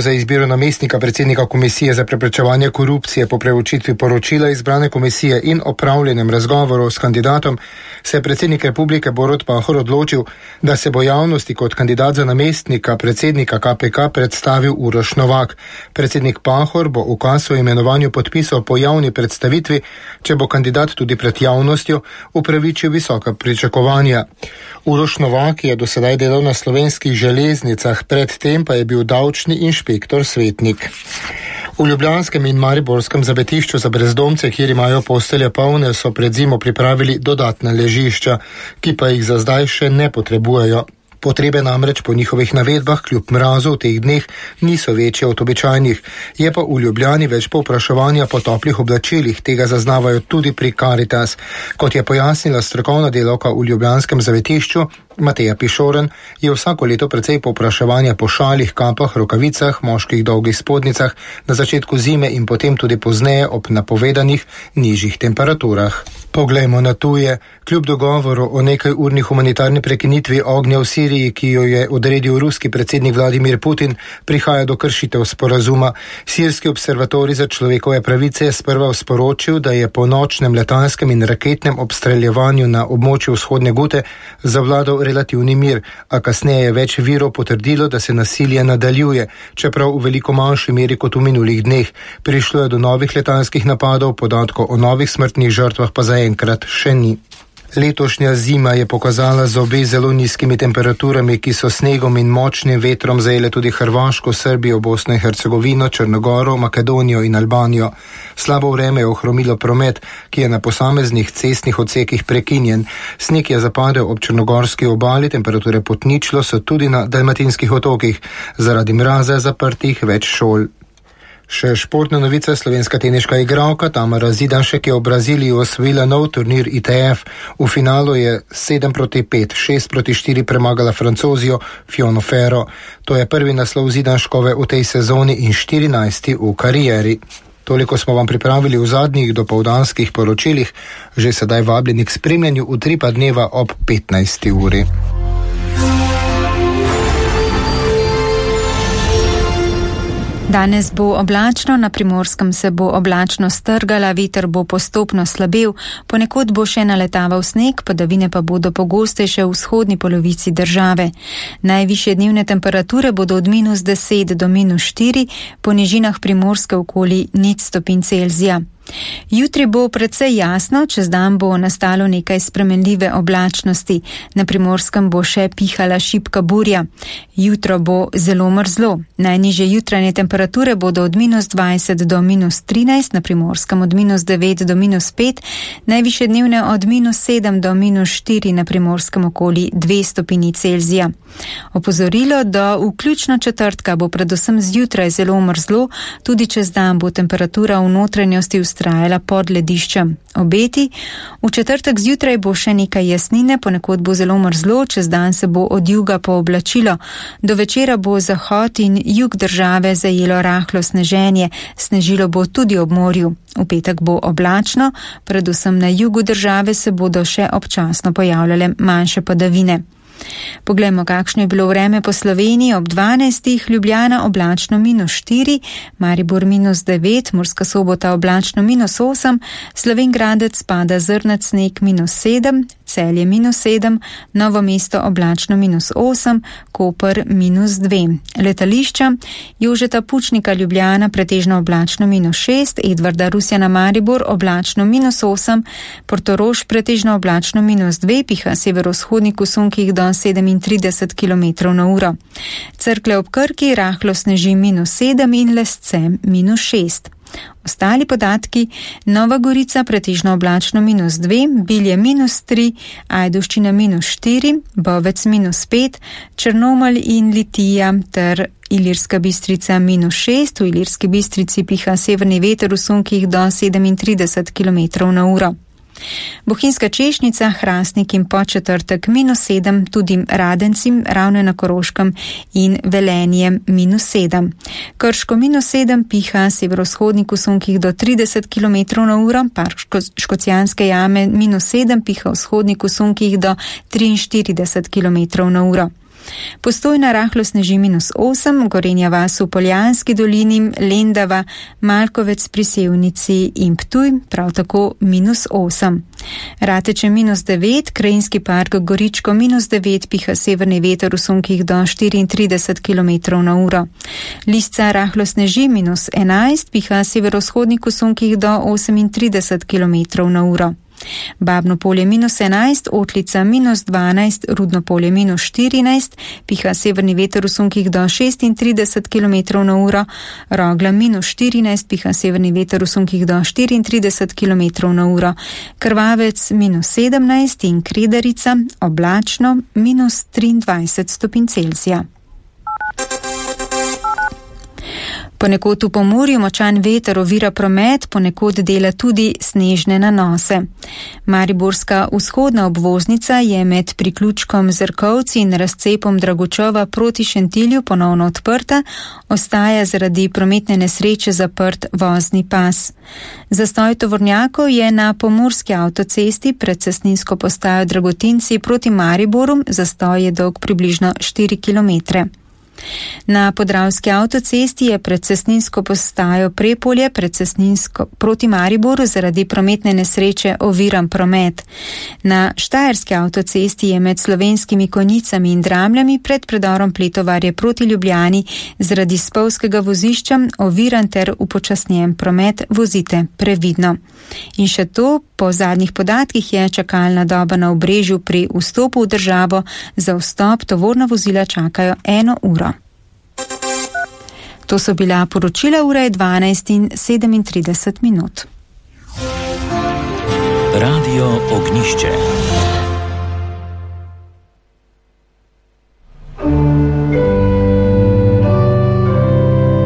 Za izbiro namestnika predsednika Komisije za preprečevanje korupcije po preučitvi poročila izbrane komisije in opravljenem razgovoru s kandidatom se je predsednik Republike Borut Pahor odločil, da se bo javnosti kot kandidat za namestnika predsednika KPK predstavil Uroš Novak. Predsednik Pahor bo ukaz o imenovanju podpisal po javni predstavitvi, če bo kandidat tudi pred javnostjo upravičil visoka pričakovanja. Uroš Novak je do sedaj delal na Slovenskih železnicah, predtem pa je bil davčni inšpektor svetnik. V ljubljanskem in mariborskem zavetišču za brezdomce, kjer imajo postelje polne, so pred zimo pripravili dodatna ležišča, ki pa jih za zdaj še ne potrebujejo. Potrebe namreč po njihovih navedbah kljub mrazu v teh dneh niso večje od običajnih. Je pa v Ljubljani več povpraševanja po toplih oblačilih, tega zaznavajo tudi pri Caritas. Kot je pojasnila strokovna delavka v ljubljanskem zavetišču, Mateja Pišoren, je vsako leto precej povpraševanja po šalih, kapah, rokavicah, moških dolgih spodnicah na začetku zime in potem tudi pozneje ob napovedanih nižjih temperaturah. Poglejmo na tuje. Kljub dogovoru o nekajurni humanitarni prekinitvi ognja v Siriji, ki jo je odredil ruski predsednik Vladimir Putin, prihaja do kršitev sporazuma. Sirski observatorij za človekove pravice je sprva sporočil, da je po nočnem letalskem in raketnem obstreljevanju na območju vzhodne Gute zavladal relativni mir, a kasneje je več virov potrdilo, da se nasilje nadaljuje, čeprav v veliko manjši meri kot v minulih dneh. Prišlo je do novih letalskih napadov, podatkov o novih smrtnih žrtvah pa zaenkrat še ni. Letošnja zima je pokazala zobe zelo nizkimi temperaturami, ki so snegom in močnim vetrom zajele tudi Hrvaško, Srbijo, Bosno in Hercegovino, Črnogoro, Makedonijo in Albanijo. Slabo vreme je ohromilo promet, ki je na posameznih cestnih odsekih prekinjen. Sneg je zapadel ob črnogorski obali, temperature pod ničlo so tudi na dalmatinskih otokih. Zaradi mraza je zaprtih več šol. Še športna novica, slovenska teniška igralka Tamara Zidanšek je v Braziliji osvojila nov turnir ITF. V finalu je 7-5, 6-4 premagala Francozijo Fiono Ferro. To je prvi naslov Zidanškove v tej sezoni in 14. v karieri. Toliko smo vam pripravili v zadnjih dopoldanskih poročilih, že sedaj vabljeni k spremljanju Utripa dneva ob 15. uri. Danes bo oblačno, na Primorskem se bo oblačno strgala, veter bo postopno slabel, ponekod bo še naletaval sneg, padavine pa bodo pogostejše v vzhodni polovici države. Najvišje dnevne temperature bodo od -10 do -4, po nižinah Primorske okoli 0 stopinj Celzija. Jutri bo precej jasno, čez dan bo nastalo nekaj spremenljive oblačnosti. Na Primorskem bo še pihala šibka burja. Jutro bo zelo mrzlo. Najnižje jutranje temperature bodo od -20 do -13, na Primorskem od -9 do -5, najvišje dnevne od -7 do -4, na Primorskem okoli 2 stopinji Celzija. Opozorilo, do vključno četrtka bo predvsem zjutraj zelo mrzlo, tudi čez dan bo temperatura v notranjosti vztrajala pod lediščem. Obeti, v četrtek zjutraj bo še nekaj jasnine, ponekod bo zelo mrzlo, čez dan se bo od juga pooblačilo. Do večera bo zahod in jug države zajelo rahlo sneženje, snežilo bo tudi ob morju. V petek bo oblačno, predvsem na jugu države se bodo še občasno pojavljale manjše padavine. Poglejmo, kakšno je bilo vreme po Sloveniji. Ob 12. Ljubljana oblačno -4, Maribor -9, Murska Sobota oblačno -8, Slovenj Gradec pada zrnat sneg -7, Celje -7, Novo mesto oblačno -8, Koper -2. Letališča: Jožeta Pučnika Ljubljana pretežno oblačno -6, Edvarda Rusjana Maribor oblačno -8, Portorož pretežno oblačno -2, piha severovzhodnik v sunkih do 37 km/h. Cerkle ob Krki rahlo sneži -7 in Lesce -6. Ostali podatki: Nova Gorica pretežno oblačno -2, Bilje -3, Ajdovščina -4, Bovec -5, Črnomelj in Litija ter Ilirska Bistrica -6, v Ilirski Bistrici piha severni veter v sunkih do 37 km/h. Bohinjska Češnica, Hrastnik in Podčetrtek -7, tudi Radenci, Ravne na Koroškem in Velenje -7. Krško -7, piha severovzhodnik v sunkih do 30 km/h, Park Škocjanske jame -7, piha vzhodnik v sunkih do 43 km/h. Postojna rahlo sneži -8, Gorenja vas v Poljanski dolini, Lendava, Malkovec pri Sevnici in Ptuj, prav tako -8. Rateče -9, Krajinski park Goričko -9, piha severni veter v sunkih do 34 km/h. Lisca rahlo sneži -11, piha severovzhodnik v sunkih do 38 km/h. Babno polje -11, Otlica -12, Rudno polje -14, piha severni veter v sunkih do 36 km/h, Rogla -14, piha severni veter v sunkih do 34 km/h, Krvavec -17 in Kredarica oblačno -23 stopinj Celzija. Ponekod v Pomurju močan veter ovira promet, ponekod dela tudi snežne nanose. Mariborska vzhodna obvoznica je med priključkom Zrkovci in razcepom Dragočova proti Šentilju ponovno odprta, ostaja zaradi prometne nesreče zaprt vozni pas. Zastoj tovornjakov je na pomurski avtocesti pred cestninsko postajo Dragotinci proti Mariboru, zastoj je dolg približno 4 km. Na podravski avtocesti je pred cestninsko postajo Prepolje proti Mariboru zaradi prometne nesreče oviran promet. Na štajerski avtocesti je med Slovenskimi Konjicami in Dramljami pred predorom Pletovarje proti Ljubljani zaradi spolzkega vozišča oviran ter upočasnjen promet, vozite previdno. In še to, po zadnjih podatkih je čakalna doba na Obrežju pri vstopu v državo, za vstop tovorna vozila čakajo 1 uro. To so bila poročila, ura je 12:37. Radio Ognišče.